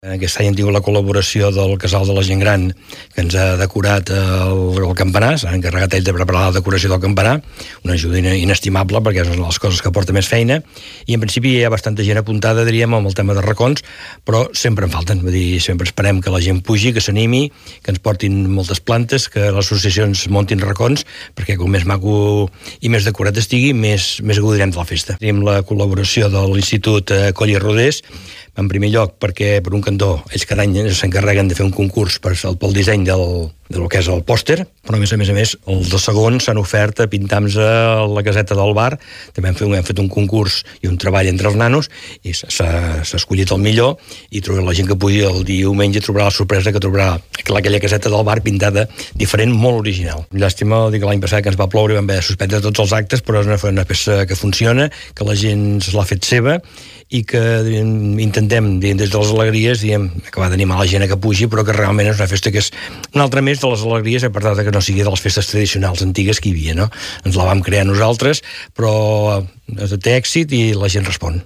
Aquest any hem tingut la col·laboració del Casal de la Gent Gran, que ens ha decorat el campanar, s'han encarregat ells de preparar la decoració del campanar, una ajuda inestimable perquè és una de les coses que porta més feina, i en principi hi ha bastanta gent apuntada, diríem, amb el tema de racons, però sempre en falten, vull dir, sempre esperem que la gent pugi, que s'animi, que ens portin moltes plantes, que les associacions muntin racons, perquè com més maco i més decorat estigui, més gaudirem de la festa. Tenim la col·laboració de l'Institut Coll i Rodés, en primer lloc perquè, per un cantó, ells cada any s'encarreguen de fer un concurs pel disseny del que és el pòster, però a més, els dos segons s'han ofert a pintar-nos a la caseta del bar. També hem fet un concurs i un treball entre els nanos i s'ha escollit el millor, i la gent que pugui el diumenge trobarà la sorpresa que trobarà aquella caseta del bar pintada diferent, molt original. Llàstima, dic, l'any passat que ens va ploure i vam haver de suspendre tots els actes, però és una peça que funciona, que la gent se l'ha fet seva i que intentem, des de les alegries, acabar d'animar la gent a que pugi, però que realment és una festa que és una altra més de les alegries, a part de que no sigui de les festes tradicionals antigues que hi havia, no? Ens la vam crear nosaltres, però té èxit i la gent respon.